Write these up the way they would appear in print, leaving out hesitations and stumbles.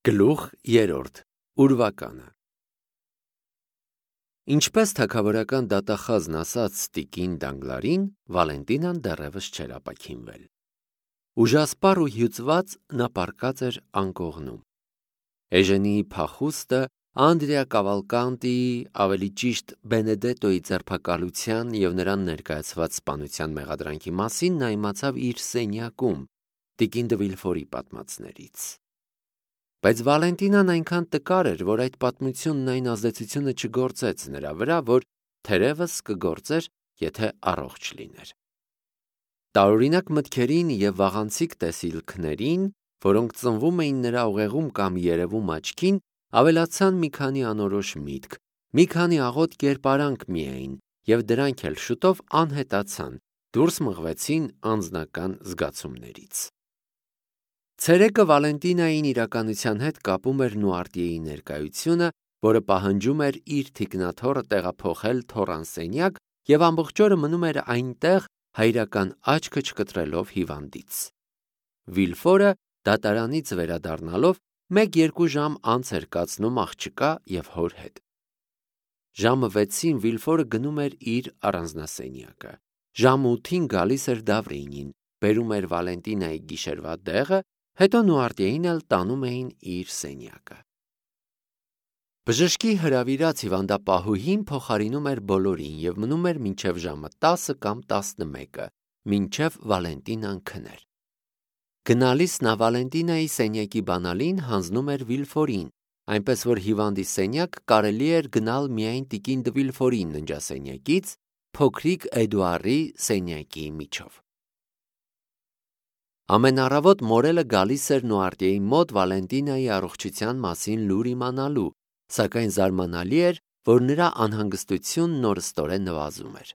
Գլուխ 3. Ուրվականը Ինչպես թագավորական դատախազն ասաց տիկին Դանգլարին, Վալենտինան դեռևս չէր ապաքինվել։ Ուժասպառ ու հյուծված նա պառկած էր անկողնում։ Էժենիի փախուստը, Անդրեա Կավալկանտիի, ավելի ճիշտ Բենեդետոյի ձերբակալության և նրան ներկայացված սպանության մեղադրանքի մասին նա իմացավ իր սենյակում, տիկին դը Վիլֆորի պատմածներից։ Բայց Վալենտինան այնքան տկար էր, որ այդ պատմությունն այն ազդեցությունը չգործեց նրա վրա, որ թերևս կգործեր, եթե առողջ լիներ։ Տարօրինակ մտքերին և վաղանցիկ տեսիլքներին, որոնք ծնվում էին նրա ուղեղում կամ երևում աչքին, ավելացան մի քանի անորոշ միտք, մի քանի աղոտ կերպարանք միայն, և դրանք էլ շուտով անհետացան, դուրս մղվեցին անձնական զգացումներից։ Ցերեկը Վալենտինային իրականության հետ կապում էր Նուարտիեի ներկայությունը, որը պահանջում էր իր թիկնաթոռը տեղափոխել թոռան սենյակ և ամբողջ օրը մնում էր այնտեղ, հայրական աչքը չկտրելով հիվանդից։ Վիլֆորը դատարանից վերադառնալով 1-2 ժամ անց էր կացնում աղջկա և հոր հետ։ Ժամը 6-ին Վիլֆորը գնում էր իր առանձնասենյակը։ Ժամը 8-ին գալիս էր Դավրինին, բերում էր Վալենտինայի գիշերվա դեղը, հետո Նուարտիեին էլ տանում էին իր սենյակը։ Բժշկի հրավիրած հիվանդապահուհին փոխարինում էր բոլորին և մնում էր մինչև ժամը 10 կամ 11, մինչև Վալենտինան քներ։ Գնալիս նա Վալենտինայի սենյակի բանալին հանձնում էր Վիլֆորին, այնպես որ հիվանդի սենյակ կարելի էր գնալ միայն տիկին դը Վիլֆորի ննջասենյակից, փոքրիկ Էդուարի սենյակի միջով։ Ամեն առավոտ մորելը գալիս էր Նուարտիեի մոտ Վալենտինայի առողջության մասին լուր իմանալու, սակայն զարմանալի էր, որ նրա անհանգստությունն օրըստորե նվազում էր։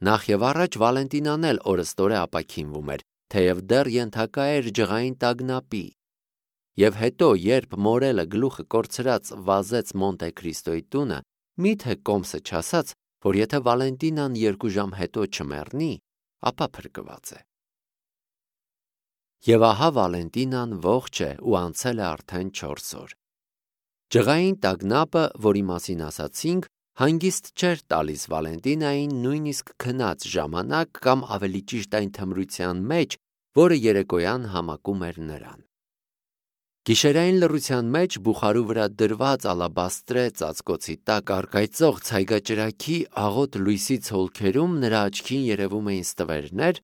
Նախ և առաջ Վալենտինան էլ օրըստորե ապաքինվում էր, թեև դեռ ենթակա էր ջղային տագնապի։ Եվ հետո, երբ մորելը գլուխը կորցրած վազեց Մոնտե Քրիստոյի տունը, միթե կոմսը չասաց, որ եթե Վալենտինան 2 ժամ հետո չմեռնի, ապա փրկված է։ Եվ ահա Վալենտինան ողջ է ու անցել է արդեն 4 օր։ Ջղային տագնապը, որի մասին ասացինք, հանգիստ չէր տալիս Վալենտինային նույնիսկ քնած ժամանակ կամ ավելի ճիշտ այն թմրության մեջ, որը երեկոյան համակում էր նրան։ Գիշերային լռության մեջ բուխարու վրա դրված ալաբաստրե ծածկոցի տակ առկայծող ցայգաճրագի աղոտ լույսի ցոլքերում նրա աչքին երևում էին ստվերներ,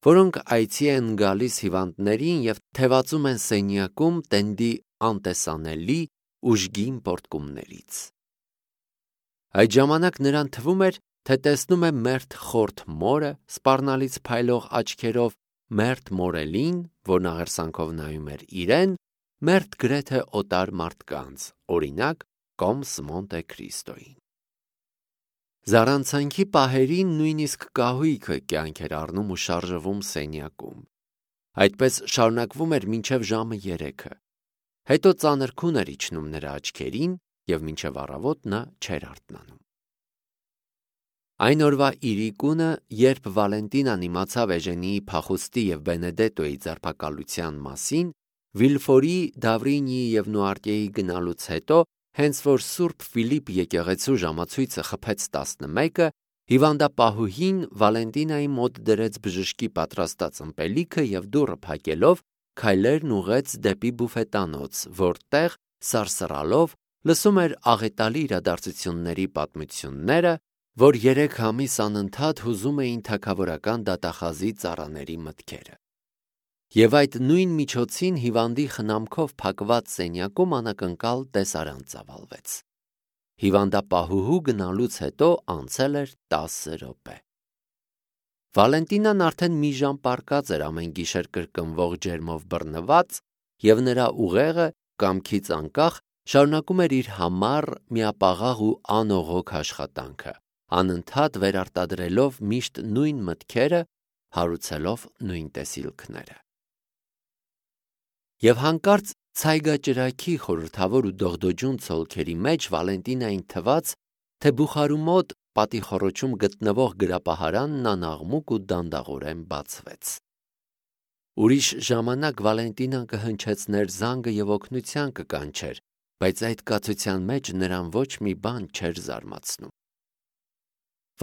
որոնք այցի են գալիս հիվանդներին և թևածում են սենյակում տենդի անտեսանելի ուժգին պոռթկումներից։ Այդ ժամանակ նրան թվում էր, թե տեսնում է մերթ խորթ մորը, սպառնալից փայլող աչքերով, մերթ մորելին, որն աղերսանքով նայում էր իրեն, մերթ գրեթե օտար մարդկանց, օրինակ կոմս Մոնտե Քրիստոյին։ Զառանցանքի պահերին նույնիսկ կահույքը կյանք էր առնում ու շարժվում սենյակում։ Այդպես շարունակվում էր մինչև ժամը 3-ը։ Հետո ծանր քուն էր իջնում նրա աչքերին և մինչև առավոտ նա չէր արթնանում։ Այն օրվա իրիկունը, երբ Վալենտինան իմացավ Էժենիի փախուստի և Բենեդետոյի ձերբակալության մասին, Վիլֆորի, Դավրինիի և Նուարտիեի գնալուց հետո, հենց որ Սուրբ Ֆիլիպ եկեղեցու ժամացույցը խփեց 11-ը, հիվանդապահուհին Վալենտինայի մոտ դրեց բժշկի պատրաստած ըմպելիքը և դուռը փակելով, քայլերն ուղղեց դեպի բուֆետանոց, որտեղ, սարսռալով, լսում էր աղետալի իրադարձությունների պատմությունները, որ 3 ամիս անընդհատ հուզում էին թագավորական դատախազի ծառաների մտքերը։ Եվ այդ նույն միջոցին հիվանդի խնամքով փակված սենյակում անակնկալ տեսարան ծավալվեց։ Հիվանդապահուհու գնալուց հետո անցել էր 10 րոպե։ Վալենտինան արդեն մի ժամ պառկած էր ամեն գիշեր կրկնվող ջերմով բռնված, և նրա ուղեղը, կամքից անկախ, շարունակում էր իր համառ, միապաղաղ ու անողոք աշխատանքը, անընդհատ վերարտադրելով միշտ նույն մտքերը, հարուցելով նույն տեսիլքները։ Եվ հանկարծ ցայգաճրագի խորհրդավոր ու դողդոջուն ցոլքերի մեջ Վալենտինային թվաց, թե բուխարու մոտ պատի խոռոչում գտնվող գրապահարանն անաղմուկ ու դանդաղորեն բացվեց։ Ուրիշ ժամանակ Վալենտինան կհնչեցներ զանգը և օգնության կկանչեր, բայց այդ կացության մեջ նրան ոչ մի բան չէր զարմացնում։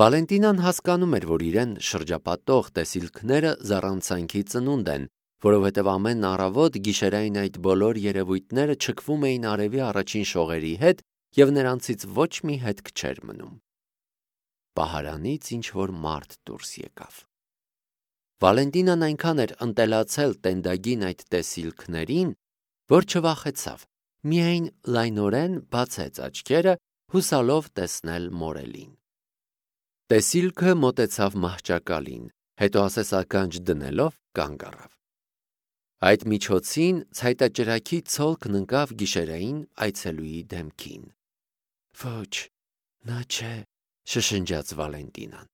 Վալենտինան հասկանում էր, որ իրեն շրջապատող տեսիլքները զառանցանքի ծնունդ են, որովհետև ամեն առավոտ գիշերային այդ բոլոր երևույթները չքվում էին արևի առաջին շողերի հետ և նրանցից ոչ մի հետք չէր մնում։ Պահարանից ինչ-որ մարդ դուրս եկավ։ Վալենտինան այնքան էր ընտելացել տենդագին այդ տեսիլքներին, որ չվախեցավ, միայն լայնորեն բացեց աչքերը, հուսալով տեսնել մորելին։ Տեսիլքը մոտեցավ մահճակալին, հետո ասես ականջ դնելով կանգ առավ։ Այդ միջոցին ցայտաճրագի ցոլքն ընկավ գիշերային այցելուի դեմքին։ Ոչ, նա չէ, շշնջաց Վալենտինան։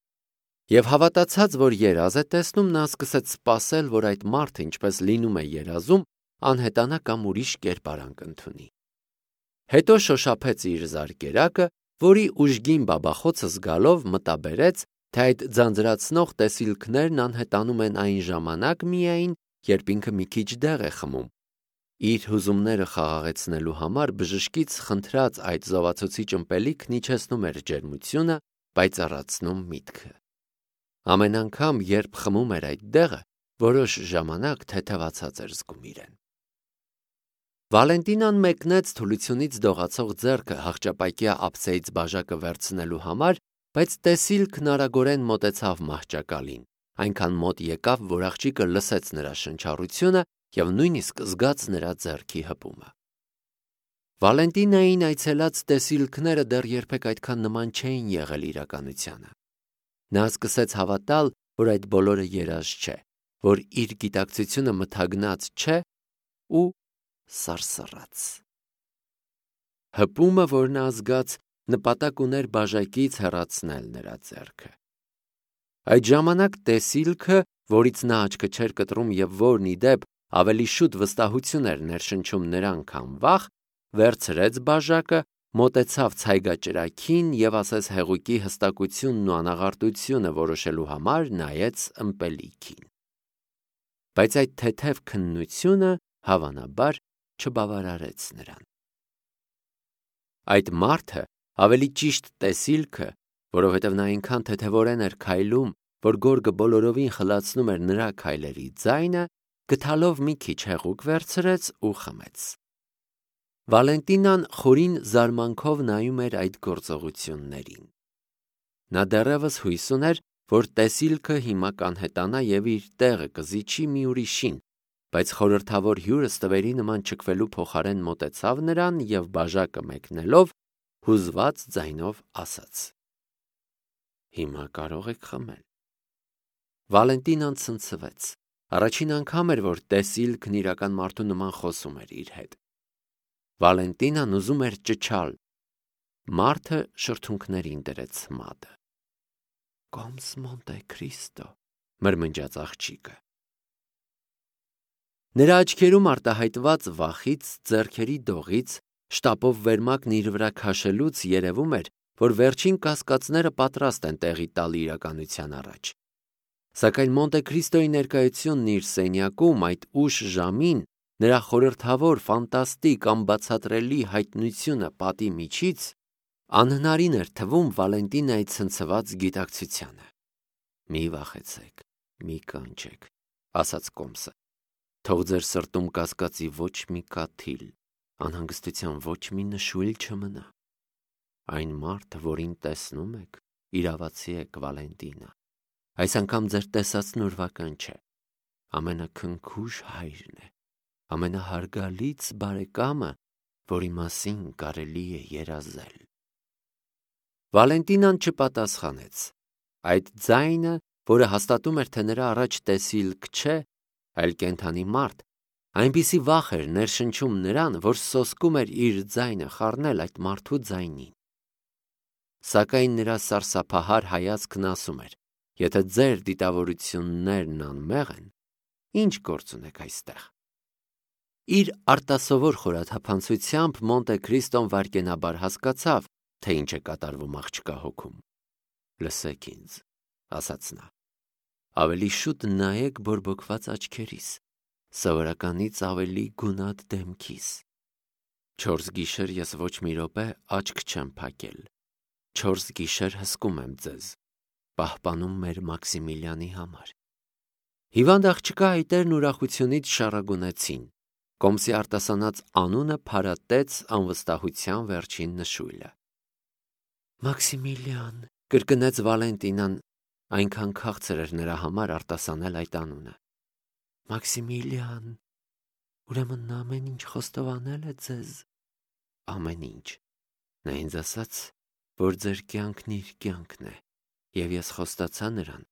Եվ հավատացած, որ երազ է տեսնում, նա սկսեց սպասել, որ այդ մարդը, ինչպես լինում է երազում, անհետանա կամ ուրիշ կերպարանք ընդունի։ Հետո շոշափեց իր զարկերակը, որի ուժգին բաբախոցը զգալով մտաբերեց, թե այդ ձանձրացնող տեսիլքներն անհետանում են այն ժամանակ միայն, երբ ինքը մի քիչ դեղ է խմում։ Իր հուզումները խաղաղեցնելու համար բժշկից խնդրած այդ զովացուցիչ ըմպելիքն իջեցնում էր ջերմությունը, պայծառացնում միտքը։ Ամեն անգամ, երբ խմում էր այդ դեղը, որոշ ժամանակ թեթևացած էր զգում իրեն։ Վալենտինան մեկնեց թուլությունից դողացող ձեռքը հաղճապայքյա ափսեից բաժակը վերցնելու համար, բայց տեսիլքն արագորեն մոտեցավ մահճակալին, այնքան մոտ եկավ, որ աղջիկը լսեց նրա շնչառությունը և նույնիսկ զգաց նրա ձեռքի հպումը։ Վալենտինային այցելած տեսիլքները դեռ երբեք այդքան նման չէին եղել իրականությանը։ Նա սկսեց հավատալ, որ այդ բոլորը երազ չէ, որ իր գիտակցությունը մթագնած չէ ու սարսռաց։ Հպումը, որ նա զգաց, նպատակ ուներ բաժակից հեռացնել նրա ձեռքը։ Այդ ժամանակ տեսիլքը, որից նա աչքը չէր կտրում և որն ի դեպ ավելի շուտ վստահություն էր ներշնչում նրան, քան վախ, վերցրեց բաժակը, մոտեցավ ցայգաճրագին և ասես հեղուկի հստակությունն ու անաղարտությունը որոշելու համար նայեց ըմպելիքին։ Բայց այդ թեթև քննությունը հավանաբար չբավարարեց նրան։ Այդ մարդը, ավելի ճիշտ տեսիլքը, որովհետև նա այնքան թեթևորեն էր քայլում, որ գորգը բոլորովին խլացնում էր նրա քայլերի ձայնը, գթալով մի քիչ հեղուկ վերցրեց ու խմեց։ Վալենտինան խորին զարմանքով նայում էր այդ գործողություններին։ Նա դեռևս հույս ուներ, որ տեսիլքը հիմա կանհետանա և իր տեղը կզիջի մի ուրիշին, բայց խորհրդավոր հյուրը ստվերի նման չքվելու փոխարեն մոտեցավ նրան և բաժակը մեկնելով հուզված ձայնով ասաց. «Հիմա կարող եք խմել»։ Վալենտինան ցնցվեց։ Առաջին անգամ էր, որ տեսիլքն իրական մարդու նման խոսում էր իր հետ։ Վալենտինան ուզում էր ճչալ։ Մարդը շրթունքներին դրեց մատը։ «Կոմս Մոնտե Քրիստո», մրմնջաց աղջիկը։ Նրա աչքերում արտահայտված վախից, ձեռքերի դողից, շտապով վերմակն իր վրա քաշելուց երևում էր, որ վերջին կասկածները պատրաստ են տեղի տալ իրականության առաջ։ Սակայն Մոնտե Քրիստոյի ներկայությունն իր սենյակում այդ ուշ ժամին, նրա խորհրդավոր, ֆանտաստիկ, անբացատրելի հայտնությունը պատի միջից անհնարին էր թվում Վալենտինայի ցնցված գիտակցությանը։ «Մի վախեցեք, մի կանչեք», ասաց Կոմսը։ «Թող ձեր սրտում կասկածի ոչ մի կաթիլ, անհանգստության ոչ մի նշույլ չմնա։ Այն մարդը, որին տեսնում եք, իրավացի եք, Վալենտինա։ Այս անգամ ձեր տեսածն ուրվական չէ։ Ամենաքնքուշ հայրն է, ամենահարգալից բարեկամը, որի մասին կարելի է երազել»։ Վալենտինան չպատասխանեց։ Այդ ձայնը, որը հաստատում էր, թե նրա առաջ տեսիլք չէ, այլ կենդանի մարդ, այնպիսի վախ էր ներշնչում նրան, որ սոսկում էր իր ձայնը խառնել այդ մարդու ձայնին։ Սակայն նրա սարսափահար հայացքն ասում էր. «Եթե ձեր դիտավորություններն անմեղ են, ինչ գործ ունեք այստեղ»։ Իր արտասովոր խորաթափանցությամբ Մոնտե Քրիստոն վայրկենաբար հասկացավ, թե ինչ է կատարվում աղջկա հոգում։ «Լսեք ինձ», ասաց նա, «ավելի շուտ նայեք բորբոքված աչքերիս, սովորականից ավելի գունատ դեմքիս։ 4 գիշեր ես ոչ մի րոպե աչք չեմ փակել։ 4 գիշեր հսկում եմ ձեզ, պահպանում մեր Մաքսիմիլյանի համար։ Հիվանդ աղջկա այտերն ուրախությունից շառագունեցին։ Կոմսի արտասանած անունը փարատեց անվստահության վերջին նշույլը։ Մաքսիմիլյան, կրկնեց Վալենտինան, այնքան քաղցր էր նրա համար արտասանել այդ անունը։ Մաքսիմիլյան, ուրեմն նա ամեն ինչ խոստովանել է ձեզ։ Ամեն ինչ։ Նա ինձ ասաց, որ ձեր կյանքն իր կյանքն է, եւ ես խոստացա նրան,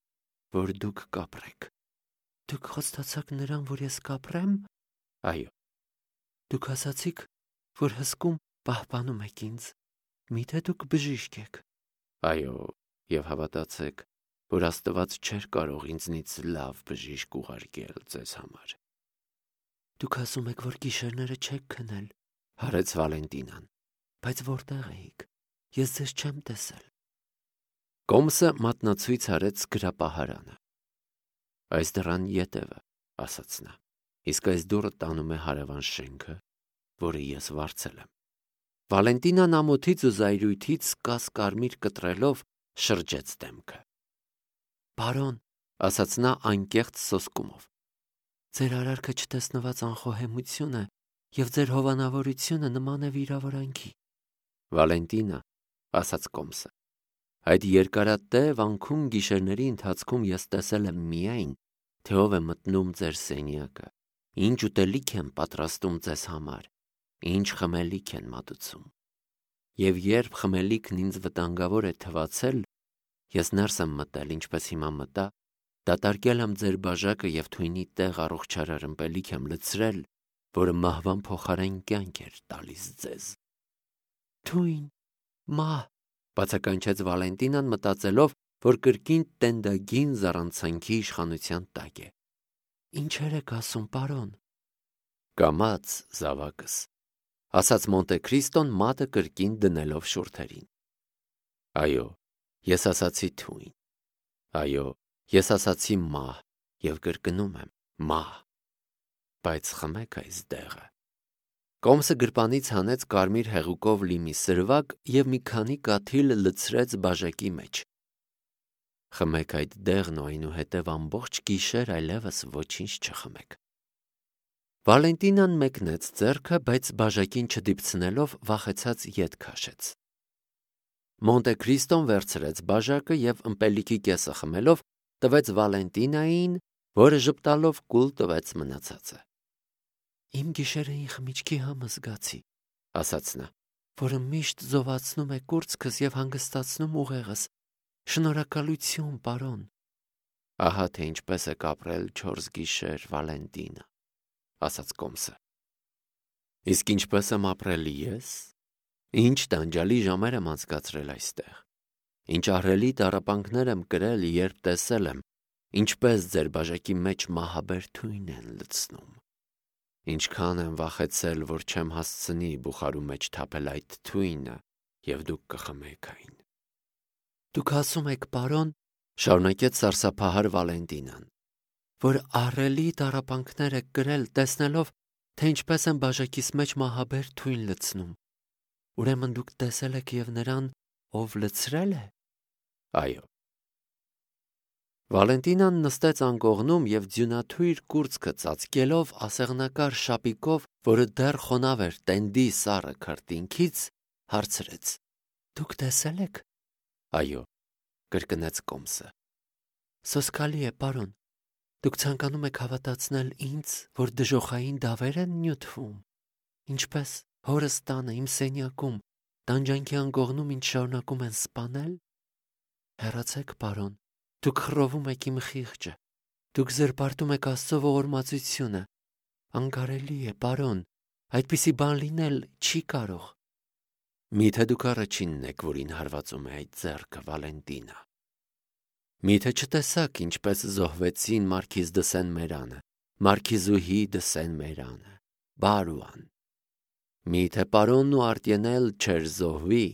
որ դուք կապրեք։ Դուք խոստացաք նրան, որ ես կապրեմ։ Այո։ Դուք ասացիք, որ հսկում պահպանում եք ինձ։ Միթե դուք բժիշկ եք։ Այո, եւ հավատացեք, որ Աստված չէր կարող ինձնից լավ բժիշկ ուղարկել ձեզ համար։ Դուք ասում եք, որ գիշերները չեք քնել, հարեց Վալենտինան, բայց որտեղ էիք։ Ես ձեզ չեմ տեսել։ Կոմսը մատնացույց արեց գրապահարանը։ Այս դռան ետևը, ասաց նա, իսկ այս դուռը տանում է հարևան շենքը, որը ես վարձել եմ։ Վալենտինան ամոթից ու զայրույթից կասկարմիր կտրելով շրջեց դեմքը։ Բարոն, ասաց նա անկեղծ սոսկումով, ձեր արարքը չտեսնված անխոհեմությունը եւ ձեր հովանավորությունը նման է վիրավորանքի։ Վալենտինա, ասաց Կոմսը, այդ երկարատև անքուն գիշերների ընթացքում ես տեսել եմ միայն, թե ով է մտնում ձեր սենյակը, ինչ ուտելիք են պատրաստում ձեզ համար, ինչ խմելիք են մատուցում։ Եվ երբ խմելիքն ինձ վտանգավոր է թվացել, ես ներս եմ մտել, ինչպես հիմա մտա, դատարկել եմ ձեր բաժակը եւ թույնի տեղ առողջարար ըմպելիք եմ լցրել, որը մահվան փոխարեն կյանք էր տալիս ձեզ։ Թույն, մահ, բացականչեց Վալենտինան, մտածելով, որ կրկին տենդագին զառանցանքի իշխանության տակ է։ Ինչեր եք ասում, պարոն։ Կամաց, զավակս, ասաց Մոնտե Քրիստոն մատը կրկին դնելով շուրթերին։ Այո, ես ասացի թույն։ Այո, ես ասացի մահ եւ կրկնում եմ մահ։ Բայց խմեք այս դեղը։ Կոմսը գրպանից հանեց կարմիր հեղուկով լի մի սրվակ եւ մի քանի կաթիլ լցրեց բաժակի մեջ։ Խմեք այդ դեղն ու այնուհետև ամբողջ գիշեր այլևս ոչինչ չխմեք։ Վալենտինան մեկնեց ձեռքը, բայց բաժակին չդիպցնելով վախեցած ետ քաշեց։ Մոնտե Քրիստոն վերցրեց բաժակը եւ ըմպելիքի կեսը խմելով տվեց Վալենտինային, որը ժպտալով կուլ տվեց մնացածը։ Իմ գիշերային խմիչքի համը զգացի, ասաց նա, որը միշտ զովացնում է կուրծքս եւ հանգստացնում ուղեղս։ Շնորհակալություն, պարոն։ Ահա թե ինչպես է կապրել 4 գիշեր Վալենտինը, ասաց Կոմսը։ Իսկ ինչպես եմ ապրել ես։ Ինչ տանջալի ժամեր եմ անցկացրել այստեղ։ Ինչ ահռելի տառապանքներ եմ կրել, երբ տեսել եմ, ինչպես ձեր բաժակի մեջ մահաբեր թույն են լցնում։ Ինչքան եմ վախեցել, որ չեմ հասցնի բուխարու մեջ թափել այդ թույնը, եւ դուք կխմեք այն։ Դուք ասում եք, պարոն, շարունակեց սարսափահար Վալենտինան, որ ահռելի տառապանքներ եք կրել, տեսնելով, թե ինչպես եմ բաժակիս մեջ մահաբեր թույն լցնում։ Ուրեմն դուք տեսել եք եւ նրան, ով լցրել է։ Այո։ Վալենտինան նստեց անկողնում եւ ձյունաթույր կուրծքը ծածկելով ասեղնակար շապիկով, որը դեռ խոնավ էր տենդի սառը քրտինքից, հարցրեց. Դուք տեսել եք։ Այո, կրկնեց Կոմսը։ Սոսկալի է, պարոն։ Դուք ցանկանում եք հավատացնել ինձ, որ դժոխային դավեր են նյութվում։ Ինչպես հորս տանը իմ սենյակում, տանջանքի անկողնում ինձ շարունակում են սպանել։ Հեռացեք, պարոն, դուք խռովում եք իմ խիղճը, դուք զրպարտում եք Աստծո ողորմածությունը։ Անկարելի է, պարոն, այդպիսի բան լինել չի կարող։ Միթե դուք առաջինն եք, որին հարվածում է այդ ձեռքը, Վալենտինա։ Միթե չտեսաք, ինչպես զոհվեցին Մարքիզ դը Սեն-Մերանը, Մարքիզուհի դը Սեն-Մերանը, Բարուան։ Միթե պարոնն ու Արտյենել չէր զոհվի,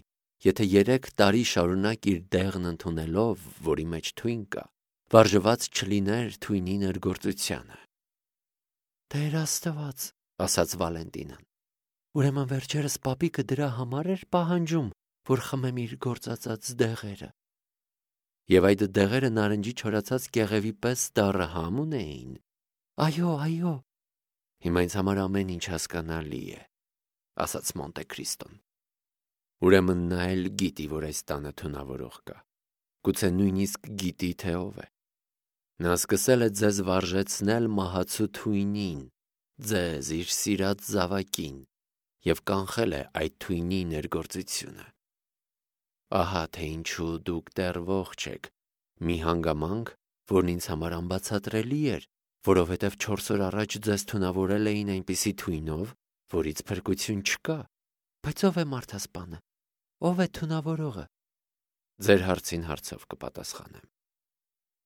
եթե 3 տարի շարունակ իր դեղն ընդունելով, որի մեջ թույն կա, վարժված չլիներ թույնի ներգործությանը։ Տեր Աստված, ասաց Վալենտինան։ Ուրեմն վերջերս պապիկը դրա համար էր պահանջում, որ խմեմ իր գործածած դեղերը։ Եվ այդ դեղերը նարնջի չորացած կեղևի պես դառը համ ունեին։ Այո։ Հիմա ինձ համար ամեն ինչ հասկանալի է, ասաց Մոնտե Քրիստոն։ Ուրեմն նա էլ գիտի, որ այս տանը թունավորող կա։ Գուցե նույնիսկ գիտի, թե ով է։ Նա սկսել է ձեզ վարժեցնել մահացու թույնին, ձեզ իր սիրած զավակին, և կանխել է այդ թույնի ներգործությունը։ Ահա թե ինչու դուք դեռ ողջ եք, մի հանգամանք, որն ինձ համար անբացատրելի էր, որովհետև 4 օր առաջ ձեզ թունավորել էին այնպիսի թույնով, որից փրկություն չկա։ Բայց ով է մարդասպանը, ով է թունավորողը։ Ձեր հարցին հարցով կպատասխանեմ։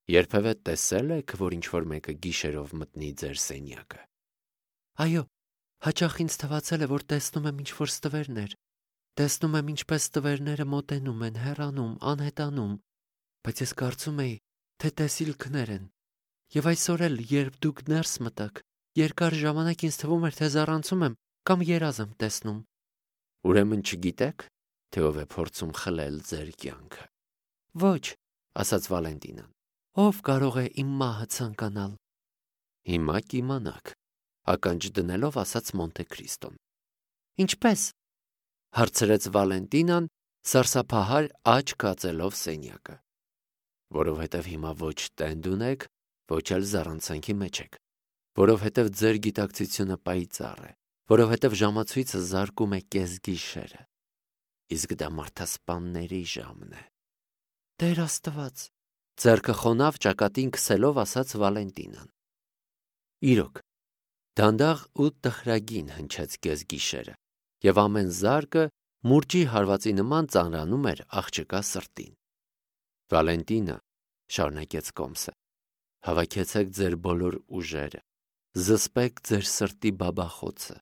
Երբևէ տեսել եք, որ ինչ-որ մեկը գիշերով մտնի ձեր սենյակը։ Այո, հաճախ ինձ թվացել է, որ տեսնում եմ ինչ-որ ստվերներ։ Տեսնում եմ, ինչպես ստվերները մոտենում են, հեռանում, անհետանում, բայց ես կարծում էի, թե տեսիլքներ են։ Եվ այսօր էլ, երբ դուք ներս մտաք, երկար ժամանակ ինձ թվում էր, թե զառանցում եմ կամ երազ եմ տեսնում։ Ուրեմն չգիտեք, թե ով է փորձում խլել ձեր կյանքը։ Ոչ, ասաց Վալենտինան։ Ով կարող է իմ մահը ցանկանալ։ Հիմա կիմանաք, ականջ դնելով ասաց Մոնտե Քրիստոն։ Ինչպես, հարցրեց Վալենտինան, սարսափահար աչք կածելով սենյակը։ Որովհետև հիմա ոչ տենդ ունեք, ոչ էլ զառանցանքի մեջ եք, որովհետև ձեր գիտակցությունը պայծառ է, որովհետև ժամացույցը զարկում է կեսգիշերը, իսկ դա մարդասպանների ժամն է։ Տեր Աստված, ձեռքը խոնավ ճակատին քսելով ասաց Վալենտինան։ Իրոք, դանդաղ ու տխրագին հնչեց կեսգիշերը, և ամեն զարկը մուրճի հարվածի նման ծանրանում էր աղջկա սրտին։ Վալենտինա, շարունակեց Կոմսը, հավաքեցեք ձեր բոլոր ուժերը, զսպեք ձեր սրտի բաբախոցը,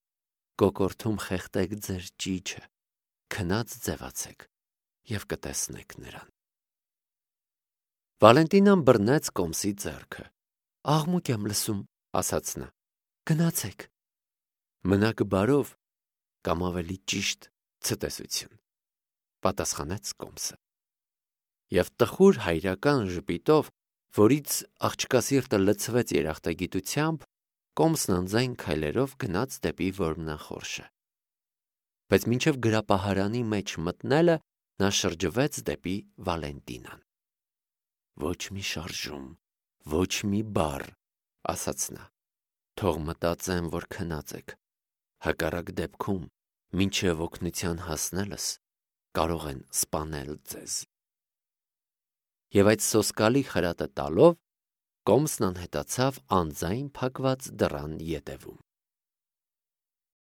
կոկորդում խեղդեք ձեր ճիչը, քնած ձևացեք և կտեսնեք նրան։ Վալենտինան բռնեց Կոմսի ձեռքը։ Աղմուկ եմ լսում, ասաց նա։ Գնացեք։ Մնաք բարով, կամ ավելի ճիշտ ցտեսություն, պատասխանեց Կոմսը։ Եվ տխուր հայրական ժպիտով, որից աղջկա սիրտը լցվեց երախտագիտությամբ, Կոմսն անձայն քայլերով գնաց դեպի որմնախորշը։ Բայց մինչև գրապահարանի մեջ մտնելը նա շրջվեց դեպի Վալենտինան։ Ոչ մի շարժում, ոչ մի բառ, ասաց նա, թող մտածեմ, որ քնած եք, հակառակ դեպքում, մինչև օգնության հասնելս, կարող են սպանել ձեզ։ Եվ այդ սոսկալի խրատը տալով, Կոմսն անհետացավ անձայն փակված դռան ետևում։